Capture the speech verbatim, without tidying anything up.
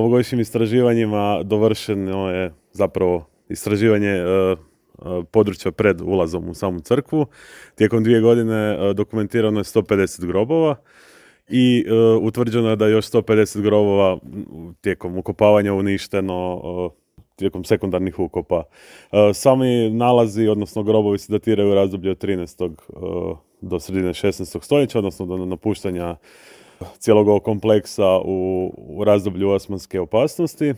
Ovogodišnjim istraživanjima dovršeno je zapravo istraživanje uh, područja pred ulazom u samu crkvu. Tijekom dvije godine uh, dokumentirano je sto pedeset grobova i uh, utvrđeno je da je još sto pedeset grobova tijekom ukopavanja uništeno uh, tijekom sekundarnih ukopa. Uh, sami nalazi, odnosno grobovi se datiraju u razdoblju od trinaestog Uh, do sredine šesnaestog stoljeća, odnosno do napuštanja cijelog ovog kompleksa u, u razdoblju osmanske opasnosti.